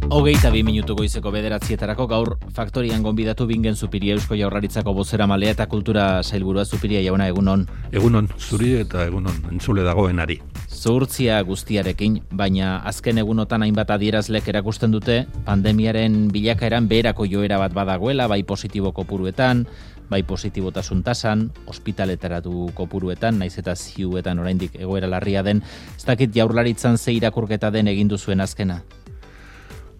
22 minutu goizeko 9:00 gaur faktorian gonbidatu Bingen Zupiria Eusko Jaurlaritzako bozeramalea eta kultura sailburua. Zupiria jauna, egunon. Egunon, zuri eta egunon entzule dagoenari. Zuhurtzia guztiarekin, baina azken egunotan hainbat adierazlek erakusten dute pandemiaren bilakaeran beherako joera bat badagoela, bai positibo kopuruetan, bai positibotasun tasan, ospitaletaratu kopuruetan, naiz eta ziuetan oraindik egoera larria den. Ez dakit Jaurlaritzan ze irakurketa den egin duzuen azkena?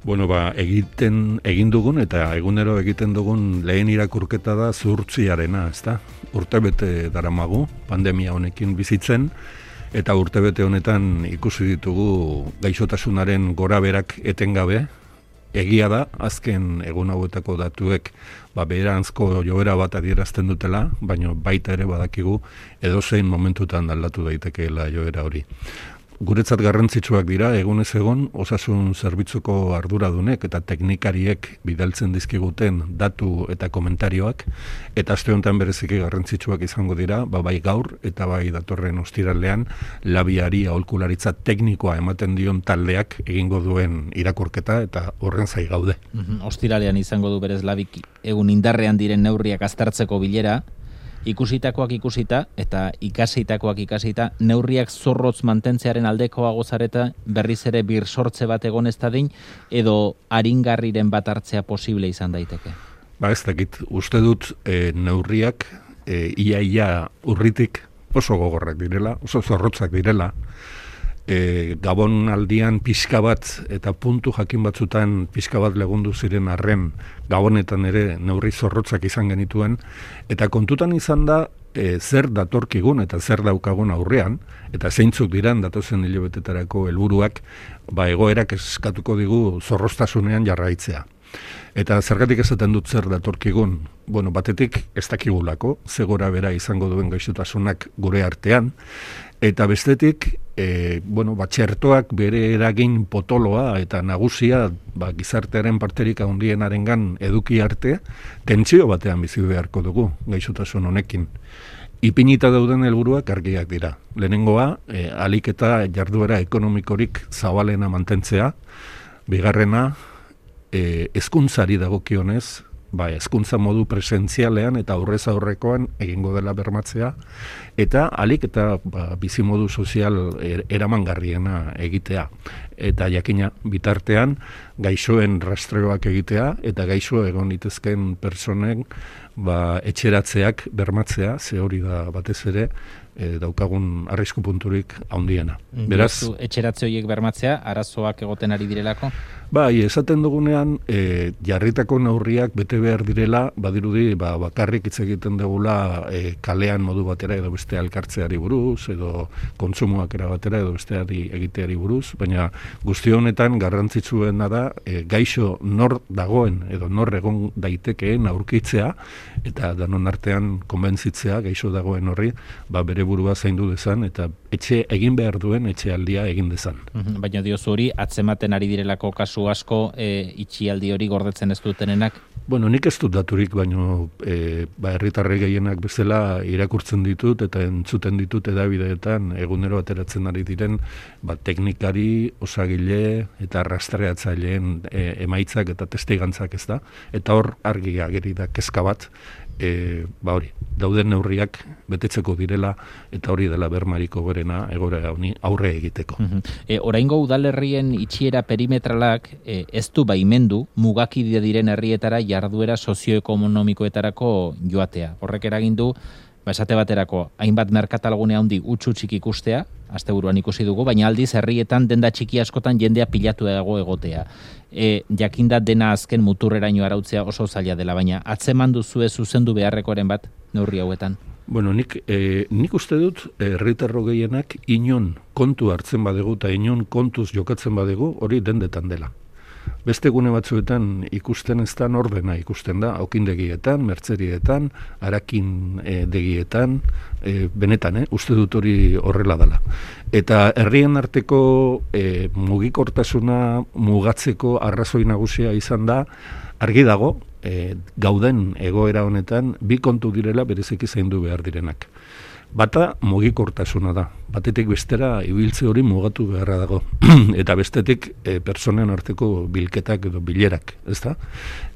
Bueno, egin dugun eta egunero egiten dugun lehen irakurketa da zuhurtziarena, ezta? Urtebete daramagu pandemia honekin bizitzen, eta urtebete honetan ikusi ditugu gaixotasunaren goraberak etengabe. Egia da, azken egun hauetako datuek beheranzko joera bat adierazten dutela, baina baita ere badakigu edozein momentutan aldatu daitekeela joera hori. Guretzat garrantzitsuak dira, egunez egon, osasun zerbitzuko arduradunek eta teknikariek bidaltzen dizkiguten datu eta komentarioak, eta aste honetan bereziki garrantzitsuak izango dira, bai gaur eta bai datorren ostiralean labiari aholkularitza teknikoa ematen dion taldeak egingo duen irakurketa, eta horren zai gaude. Ostiralean izango du berez labik egun indarrean diren neurriak aztertzeko bilera, ikusitakoak ikusita eta ikasitakoak ikasita, neurriak zorrotz mantentzearen aldekoa gozareta berriz ere birsortze bat egon ez dadin, edo aringarriren bat hartzea posible izan daiteke? Ez dakit, uste dut neurriak ia urritik oso gogorrak direla, oso zorrotzak direla. Gabon aldian pixka bat eta puntu jakin batzutan pixka bat legundu ziren arren Gabonetan ere neurri zorrotzak izan genituen, eta kontutan izan da zer datorkigun eta zer daukagun aurrean, eta zeintzuk diran datozen hilabetetarako helburuak, egoerak eskatuko digu zorroztasunean jarraitzea. Eta zergatik esaten dut zer datorkigun? Batetik ez dakigulako, ze gora bera izango duen gaixotasunak gure artean, eta bestetik, txertoak bere eragin potoloa eta nagusia gizartearen parterik handienarengan eduki arte, tentsio batean bizi beharko dugu gaixotasun honekin. Ipinita dauden helburuak argiak dira. Lehenengoa, ahalik eta jarduera ekonomikorik zabalena mantentzea, bigarrena, hezkuntzari dagokionez, hezkuntza modu presentzialean eta aurrez aurrekoan egingo dela bermatzea, eta ahalik eta bizimodu sozial eramangarriena egitea. Eta jakina bitartean gaixoen rastreoak egitea eta gaixo egon litezken personen etxeratzeak bermatzea, ze hori da batez ere daukagun arrisku punturik handiena. Beraz, etxeratze horiek bermatzea, arazoak egoten ari direlako? Esaten dugunean, jarritako neurriak bete behar direla, badirudi bakarrik hitz egiten dugula kalean modu batera edo beste elkartzeari buruz, edo kontsumoak erabatera edo besteari egiteari buruz, baina guzti honetan garrantzitsuena da gaixo nor dagoen edo nor egon daitekeen aurkitzea, eta danon artean konbentzitzea gaixo dagoen horri, bere burua zaindu dezan, eta egin behar duen etxealdia egin dezan. Baina diozu hori, atzematen ari direlako kasu asko itxialdi hori gordetzen ez dutenenak? Nik ez dut daturik, baina herritarre gehienak bezala irakurtzen ditut eta entzuten ditut edabideetan egunero ateratzen ari diren teknikari, osagile eta rastreatzaileen emaitzak eta testigantzak, ez da? Eta hor argi ageri da kezka bat, hori, dauden neurriak betetzeko direla, eta hori dela bermariko gorena egoera honi aurre egiteko. Oraingo udalerrien itxiera perimetralak ez du baimendu mugakide diren herrietara jarduera sozioekonomikoetarako joatea. Horrek eragindu, esate baterako, hainbat merkatalgune handi utxutxik ikustea, asteburuan ikusi dugu, baina aldiz herrietan denda txiki askotan jendea pilatu dago egotea. Jakinda dena azken muturreraino arautzea oso zaila dela, baina atzeman duzue zuzendu beharrekoren bat neurri hauetan? Nik uste dut herritarro gehienak inon kontu hartzen badegu eta inon kontuz jokatzen badegu hori dendetan dela. Beste gune batzuetan ikusten ez da ordena ikusten da, okindegietan, mertzerietan, harakin degietan, benetan, uste dut hori horrela dela. Eta herrien arteko mugikortasuna mugatzeko arrazoi nagusia izan da, argi dago, gauden egoera honetan, bi kontu direla bereziki zaindu behar direnak. Bata mugikortasuna da. Batetik bestera ibiltze hori mugatu beharra dago. Eta bestetik pertsonen arteko bilketak edo bilerak, ezta?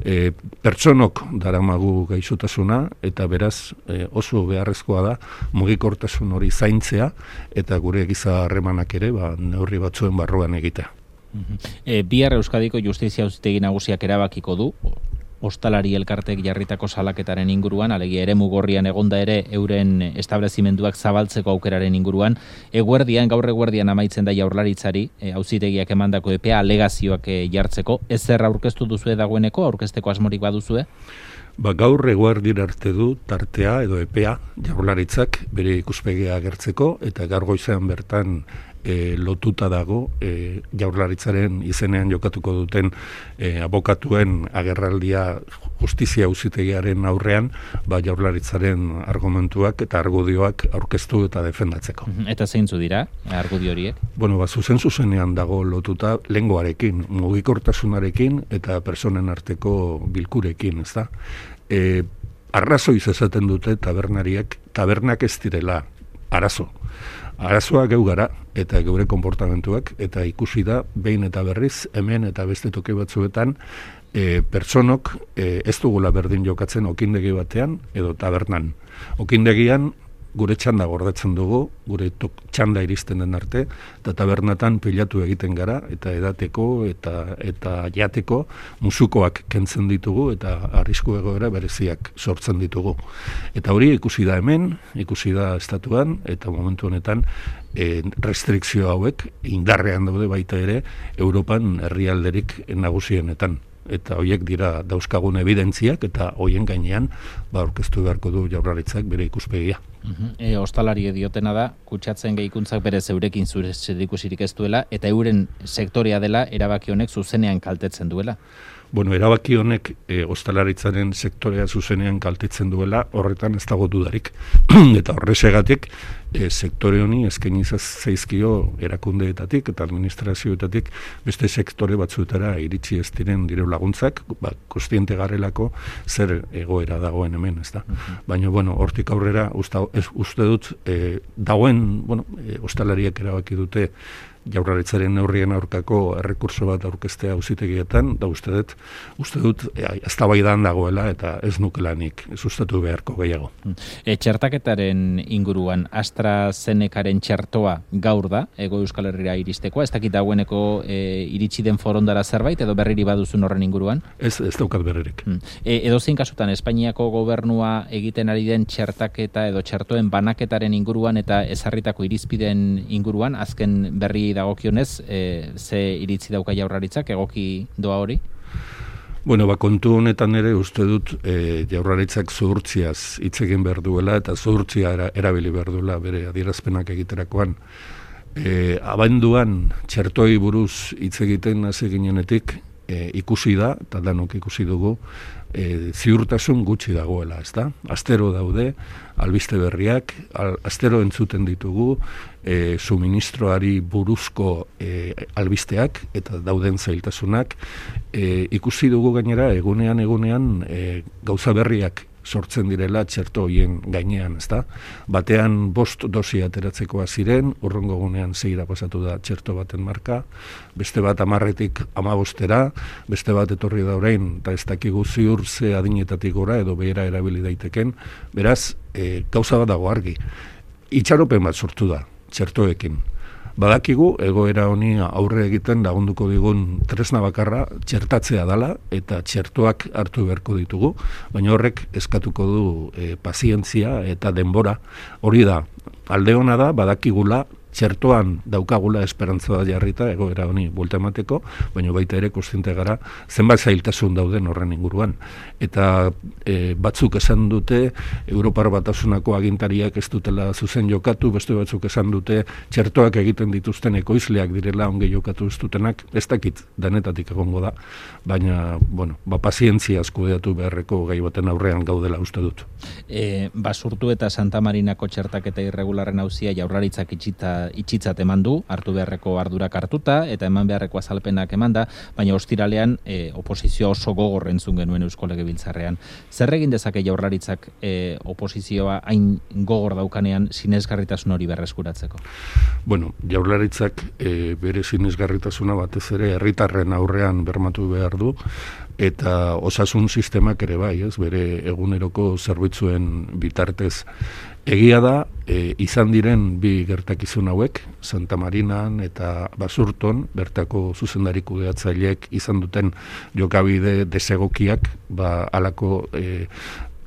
Pertsonok daramagu gaixotasuna eta beraz oso beharrezkoa da mugikortasun hori zaintzea eta gure giza harremanak ere neurri batzuen barruan egitea. Bihar Euskadiko Justizia Auzitegi Nagusiak erabakiko du ostalari elkartek jarritako salaketaren inguruan, alegia eremu gorrian egonda ere euren establezimenduak zabaltzeko aukeraren inguruan. Gaur eguerdian amaitzen da Jaurlaritzari auzitegiak emandako epea alegazioak jartzeko. Ez zer aurkeztu duzue dagoeneko, aurkezteko asmorik baduzue? Gaur eguerdira arte du tartea edo epea Jaurlaritzak bere ikuspegia agertzeko eta gaur goizean bertan lotuta dago Jaurlaritzaren izenean jokatuko duten abokatuen agerraldia Justizia Auzitegiaren aurrean Jaurlaritzaren argumentuak eta argudioak aurkeztu eta defendatzeko. Eta zeintzu dira argudio horiek? Zuzenean dago lotuta lengoarekin, mugikortasunarekin eta personen arteko bilkurekin, ezta? Arrazoiz esaten dute tabernak ez direla arazo. Arazoa geu gara eta geure konportamentuak eta ikusi da behin eta berriz hemen eta beste toki batzuetan pertsonok ez dugula berdin jokatzen okindegi batean edo tabernan. Okindegian gure txanda gordetzen dugu, gure txanda iristen den arte, eta tabernatan pilatu egiten gara, eta edateko eta jateko musukoak kentzen ditugu, eta arrisku egoera bereziak sortzen ditugu. Eta hori ikusi da hemen, ikusi da estatuan, eta momentu honetan restrikzio hauek indarrean daude baita ere Europan herrialderik nagusienetan. Eta horiek dira dauzkagun evidentziak eta hoien gainean aurkeztu beharko du Jaurlaritzak bere ikuspegia. Ostalari diotena da, kutsatzen gehikuntzak berez eurekin zerikusirik ez duela eta euren sektorea dela erabaki honek zuzenean kaltetzen duela. Erabaki honek ostalaritzaren sektorea zuzenean kaltetzen duela, horretan ez dago dudarik. Eta horrezegatik sektore honi eskaini zaizkio erakundeetatik eta administrazioetatik beste sektore batzuetara iritsi ez diren diru laguntzak, kontziente garelako zer egoera dagoen hemen, ez da. Baina, hortik aurrera uste dut dagoen, ostalariak erabaki dute Jaurlaritzaren neurrien aurkako errekurso bat aurkeztea auzitegietan, da uste dut eztabaidan dagoela eta ez nukelanik sustatu beharko gehiago. Txertaketaren inguruan AstraZenecaren txertoa gaur da, Hego Euskal Herrira iristekoa, ez dakit dagoeneko iritsi den forondara zerbait edo berriri baduzun horren inguruan? Ez daukat berririk. Edozein kasutan, Espainiako gobernua egiten ari den txertaketa edo txertoen banaketaren inguruan eta ezarritako irizpideen inguruan, azken berri dagokionez, ze iritzi dauka Jaurlaritzak, egoki doa hori? Kontu honetan ere uste dut Jaurlaritzak zuhurtziaz hitz egin behar duela eta zuhurtzia erabili behar duela bere adierazpenak egiterakoan. Abenduan txertoi buruz hitz egiten hasi ginenetik ikusi da, eta danok ikusi dugu, ziurtasun gutxi dagoela, ez da? Astero daude, albiste berriak, astero entzuten ditugu, suministroari buruzko albisteak eta dauden zailtasunak, ikusi dugu gainera egunean gauza berriak sortzen direla txerto horien gainean, ezta? Batean 5 dosi ateratzekoa ziren, urrengo egunean 6 pasatu da txerto baten marka, beste bat 10etik 15era, beste bat etorri da orain, eta ez dakigu ziur ze adinetatik gora edo behera erabili daiteken, beraz, gauza bat dago argi. Itxaropen bat sortu da, txertoekin. Badakigu, egoera honi aurre egiten lagunduko digun tresna bakarra txertatzea dela eta txertoak hartu beharko ditugu, baina horrek eskatuko du pazientzia eta denbora. Hori da, alde hona da, badakigula, txertoan daukagula esperantza jarrita egoera honi buelta emateko, baina baita ere kontziente gara zenbat zailtasun dauden horren inguruan. Eta batzuk esan dute Europar Batasunako agintariak ez dutela zuzen jokatu, beste batzuk esan dute txertoak egiten dituzten ekoizleak direla ongi jokatu ez dutenak, ez dakit danetatik egongo da, baina, pazientziaz kudeatu beharreko gai baten aurrean gaudela uste dut. Basurtu eta Santa Marinako txertaketa irregularren auzia Jaurlaritzak itxita itxitzat eman du, hartu beharreko ardurak hartuta, eta eman beharreko azalpenak emanda, baina ostiralean oposizioa oso gogor entzun genuen Eusko Legebiltzarrean. Zer egin dezake Jaurlaritzak oposizioa hain gogor daukanean sinesgarritasun hori berreskuratzeko? Bueno, Jaurlaritzak bere sinesgarritasuna batez ere herritarren aurrean bermatu behar du, eta osasun sistemak ere bai, ez, bere eguneroko zerbitzuen bitartez. Egia da, izan diren bi gertakizun hauek, Santa Marinan eta Basurton, bertako zuzendari kudeatzaileek izan duten jokabide desegokiak, halako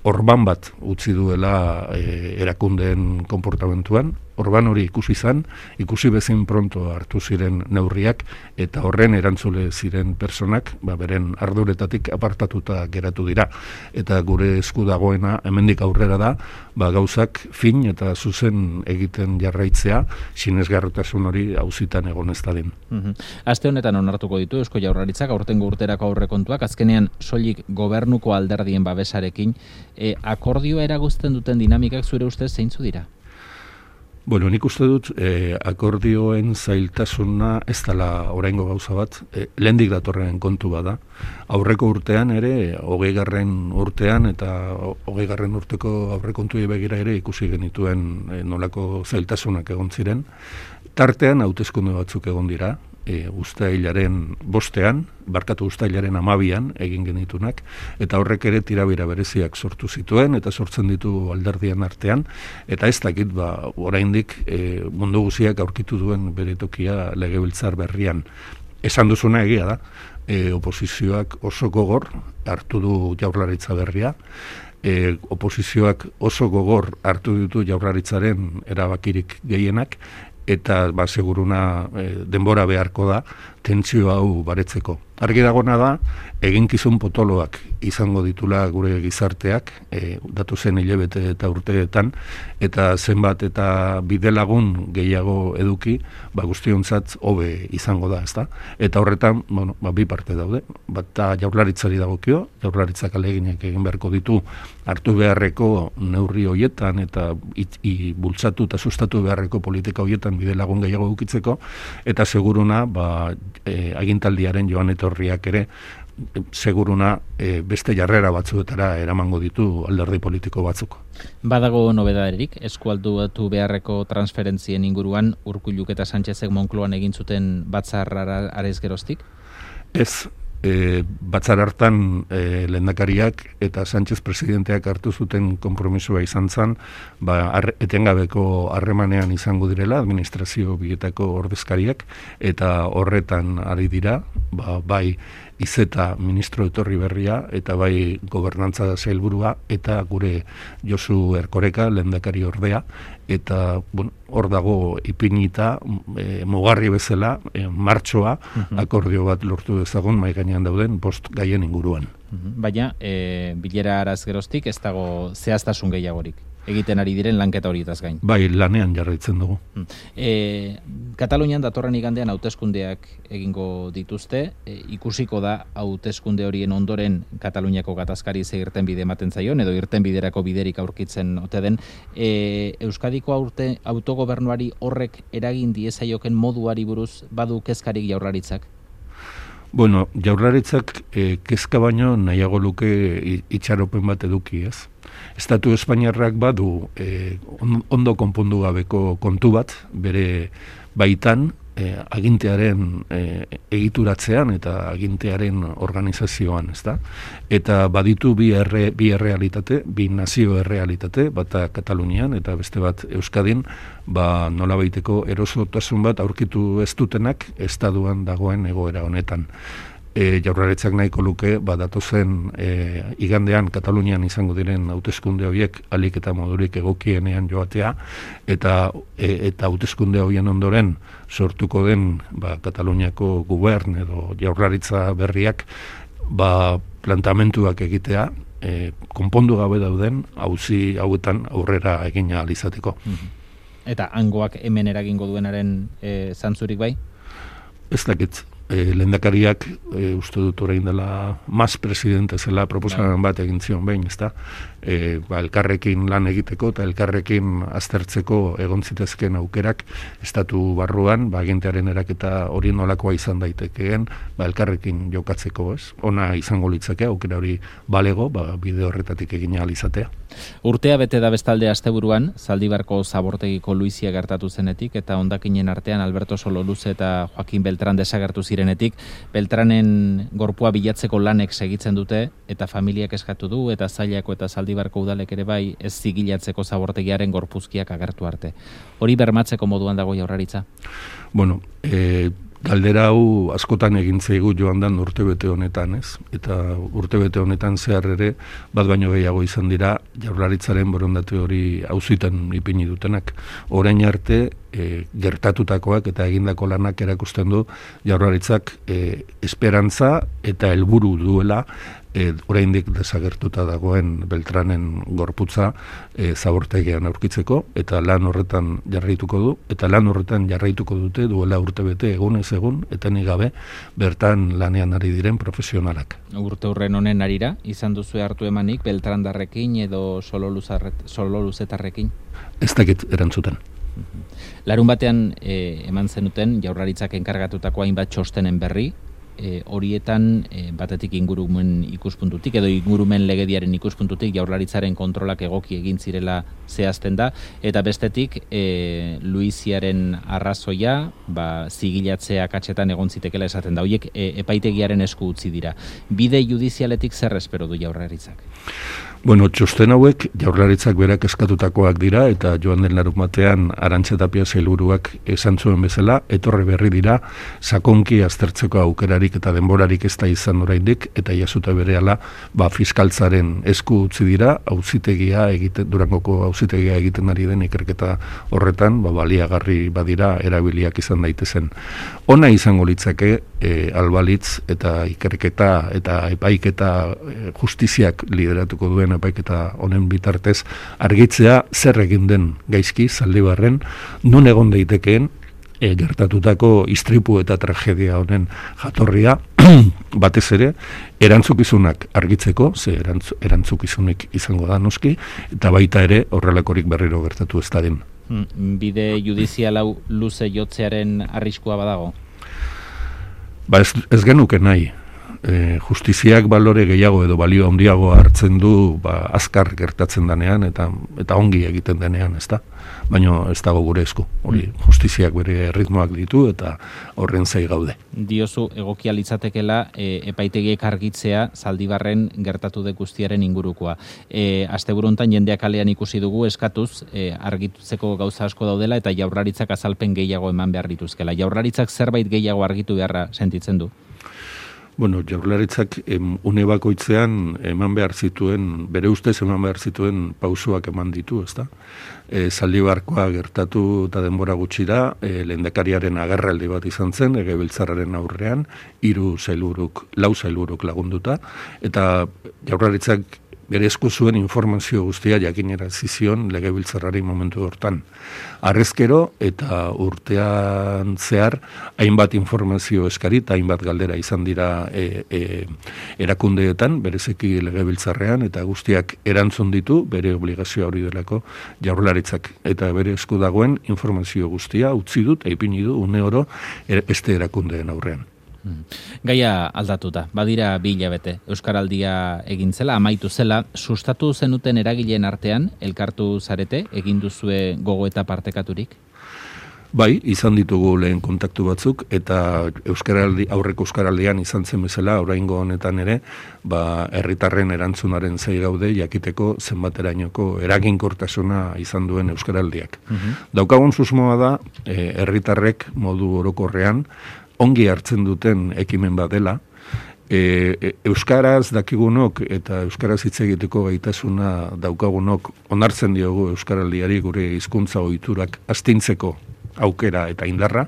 orban bat utzi duela erakundeen konportamentuan. Orban hori ikusi bezin pronto hartu ziren neurriak, eta horren erantzule ziren personak, beren arduretatik apartatuta geratu dira. Eta gure esku dagoena, hemendik aurrera da, gauzak fin eta zuzen egiten jarraitzea, sinesgarritasun hori auzitan egon ez dadin. Aste honetan onartuko ditu Eusko Jaurlaritzak aurtengo urterako aurrekontuak, azkenean soilik gobernuko alderdien babesarekin, akordioa eragozten duten dinamikak zure ustez zeintzu dira? Bueno, nik uste dut akordioen zailtasuna ez dela oraingo gauza bat, lehendik datorren kontu bada. Aurreko urtean ere, 20. urtean eta 20. urteko aurrekontuei begira ere ikusi genituen nolako zailtasunak egon ziren. Tartean hauteskunde batzuk egon dira, uztailaren 5, uztailaren 12 egin genitunak, eta horrek ere tirabira bereziak sortu zituen, eta sortzen ditu alderdien artean, eta ez dakit, oraindik mundu guziak aurkitu duen bere tokia legebiltzar berrian. Esan duzuna egia da, oposizioak oso gogor hartu du Jaurlaritza berria, oposizioak oso gogor hartu ditu Jaurlaritzaren erabakirik gehienak, eta seguruna denbora beharko da tentsio hau baretzeko. Argi dagona da, eginkizun potoloak izango ditula gure gizarteak, datozen hilabete eta urteetan, eta zenbat eta bidelagun gehiago eduki, guztiontzat hobe izango da, ezta? Eta horretan, bi parte daude. Bata Jaurlaritzari dagokio, Jaurlaritzak aleginak egin beharko ditu hartu beharreko neurri hoietan eta bultzatu eta sustatu beharreko politika hoietan bidelagun gehiago edukitzeko, eta seguruna, agintaldiaren joan etorriak ere, seguruna beste jarrera batzuetara eramango ditu alderdi politiko batzuk. Badago nobedaderik, eskualdatu beharreko transferentzien inguruan Urkulluk eta Sánchezek Moncloan egin zuten batzarra arez geroztik? Ez, batzar hartan lehendakariak eta Sánchez presidenteak hartu zuten konpromisoa izan zen, etengabeko harremanean izango direla administrazio bietako ordezkariak, eta horretan ari dira, bai Izeta ministro etorri berria, eta bai gobernantza sailburua, eta gure Josu Erkoreka lehendakari ordea, eta hor dago ipinita mugarri bezala martxoa akordio bat lortu dezagun mahai gainean dauden 5 gaien inguruan. Baina, bilera araz geroztik ez dago zehaztasun gehiagorik egiten ari diren lanketa horietaz gain. Bai, lanean jarraitzen dugu. Katalunian datorren igandean hauteskundeak egingo dituzte, ikusiko da hauteskunde horien ondoren Kataluniako gatazkari ze irtenbide ematen zaion, edo irtenbiderako biderik aurkitzen ote den. Euskadiko autogobernuari horrek eragin diezaioken moduari buruz badu kezkarik Jaurlaritzak? Bueno, Jaurlaritzak kezka baino nahiago luke itxaropen bat eduki, ez? Estatu Espainiarrak badu ondo konpondu gabeko kontu bat, bere baitan agintearen egituratzean eta agintearen organizazioan, ezta? Eta baditu bi errealitate, bi nazio errealitate, bata Katalunian eta beste bat Euskadin, nolabaiteko erosotasun bat aurkitu ez dutenak estatuan dagoen egoera honetan. Jaurlaritzak nahiko luke, datozen igandean Katalunian izango diren hauteskunde horiek alik eta modurik egokienean joatea, eta hauteskunde horien ondoren sortuko den Kataluniako gubern edo Jaurlaritza berriak plantamentuak egitea, konpondu gabe dauden auzi hauetan aurrera egin ahal izateko. Eta hangoak hemen eragingo duenaren zantzurik bai? Ez dakit. lehendakariak uste dut orain dela mas presidente zela proposamen bat egin zion behin, ezta? Elkarrekin lan egiteko eta elkarrekin aztertzeko egon zitezkeen aukerak estatu barruan, agentearen eraketa hori nolakoa izan daitekeen, elkarrekin jokatzeko, ez? Ona izango litzake aukera hori balego, bide horretatik egin ahal izatea. Urtea bete da bestalde asteburuan, Zaldibarko zabortegiko Luizia gertatu zenetik, eta hondakinen artean Alberto Sololuze eta Joaquin Beltran desagertu zirenetik, Beltranen gorpua bilatzeko lanek segitzen dute, eta familiak eskatu du, eta Zailako eta Zaldibarko udalek ere bai ez zigilatzeko zabortegiaren gorpuzkiak agertu arte. Hori bermatzeko moduan dago Jaurlaritza? Bueno, galdera hau askotan egin zaigu joan dan urtebete honetan, ez? Eta urtebete honetan zehar ere, bat baino gehiago izan dira, Jaurlaritzaren borondate hori auzitan ipini dutenak. Orain arte, gertatutakoak eta egindako lanak erakusten du Jaurlaritzak esperantza eta helburu duela oraindik desagertuta dagoen Beltranen gorputza zabortegian aurkitzeko, eta lan horretan jarraituko du, eta lan horretan jarraituko dute duela urtebete egunez egun, etenik gabe bertan lanean ari diren profesionalak. Urte hurren honen arira, izan duzu hartu emanik Beltrandarrekin edo Sololuzetarrekin? Ez dakit erantzuten. Larun batean eman zenuten Jaurlaritzak enkargatutako hainbat txostenen berri, horietan batetik ingurumen ikuspuntutik edo ingurumen legediaren ikuspuntutik Jaurlaritzaren kontrolak egoki egin zirela zehazten da, eta bestetik Luiziaren arrazoia zigilatzea katxetan egon zitekela esaten da. Horiek epaitegiaren esku utzi dira. Bide judizialetik zer espero du Jaurlaritzak? Bueno, txosten hauek Jaurlaritzak berak eskatutakoak dira, eta joan den larun batean Arantxa Tapia sailburuak esan zuen bezala, etorri berri dira, sakonki aztertzeko aukerarik eta denborarik ez da izan oraindik, eta jasuta berehala fiskaltzaren esku utzi dira, Durangoko auzitegia egiten ari den ikerketa horretan, baliagarri badira erabiliak izan daitezen. Ona izango litzake albalitz eta ikerketa eta epaiketa justiziak lideratuko duen epaiketa honen bitartez argitzea zer egin den gaizki Zaldibarren, nun egon daitekeen gertatutako istripu eta tragedia honen jatorria, batez ere, erantzukizunak argitzeko, ze erantzukizunik izango da noski, eta baita ere horrelakorik berriro gertatu ez dadin. Bide judizial hau luze jotzearen arriskua badago? Ez genuke nahi. Justiziak balore gehiago edo balio handiago hartzen du azkar gertatzen denean eta ongi egiten denean, ezta? Baina ez dago gure esku. Hori justiziak bere ritmoak ditu eta horren zai gaude. Diozu egokia litzatekela epaitegiek argitzea Zaldibarren gertatu de guztiaren ingurukoa. Asteburu hontan jendeak kalean ikusi dugu eskatuz argitutzeko gauza asko daudela eta Jaurlaritzak azalpen gehiago eman behar dituzkela. Jaurlaritzak zerbait gehiago argitu beharra sentitzen du? Bueno, Jaurlaritzak une bakoitzean bere ustez eman behar zituen pausoak eman ditu, ezta? Zaldibarkoa gertatu eta denbora gutxira, lehendakariaren agerraldi bat izan zen, Legebiltzarraren aurrean, 3 sailburuk, 4 sailburuk lagunduta, eta Jaurlaritzak bere esku zuen informazio guztia jakinarazi zion Legebiltzarrari momentu hortan. Harrezkero eta urtean zehar hainbat informazio eskari eta hainbat galdera izan dira erakundeetan, berezeki Legebiltzarrean, eta guztiak erantzun ditu bere obligazioa hori delako Jaurlaritzak, eta bere esku dagoen informazio guztia utzi dut, ipini du une oro beste erakundeen aurrean. Gaia aldatuta, badira 2 hilabete. Euskaraldia egin zela, amaitu zela, sustatu zenuten eragileen artean, elkartu zarete, egin duzue gogoeta partekaturik? Bai, izan ditugu lehen kontaktu batzuk, eta aurreko euskaraldian izan zen bezala, oraingo honetan ere, herritarren erantzunaren zai gaude, jakiteko zenbaterainoko eraginkortasuna izan duen euskaraldiak. Daukagun susmoa da, herritarrek modu orokorrean, ongi hartzen duten ekimen bat dela, euskaraz dakigunok eta euskaraz hitz egiteko gaitasuna daukagunok onartzen diogu euskaraldiari gure hizkuntza ohiturak astintzeko aukera eta indarra,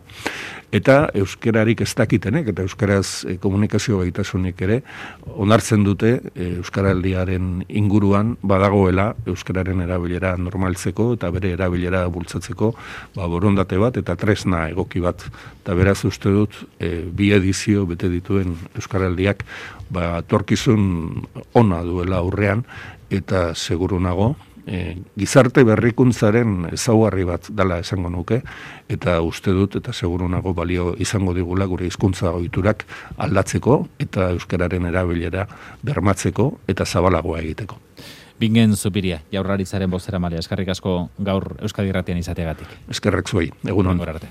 eta euskararik ez dakitenek, eta euskaraz komunikazio gaitasunik ere, onartzen dute euskaraldiaren inguruan badagoela euskararen erabilera normaltzeko eta bere erabilera bultzatzeko borondate bat eta tresna egoki bat. Eta beraz uste dut, bi edizio bete dituen euskaraldiak torkizun ona duela aurrean, eta seguru nago, gizarte berrikuntzaren ezaugarri bat dela esango nuke, eta uste dut eta seguru nago balio izango digula gure hizkuntza ohiturak aldatzeko eta euskararen erabilera bermatzeko eta zabalagoa egiteko. Bingen Zupiria, Jaurlaritzaren bozeramailea, eskerrik asko gaur Euskadi Irratian izateagatik. Eskerrak zuei, egun on. Arte.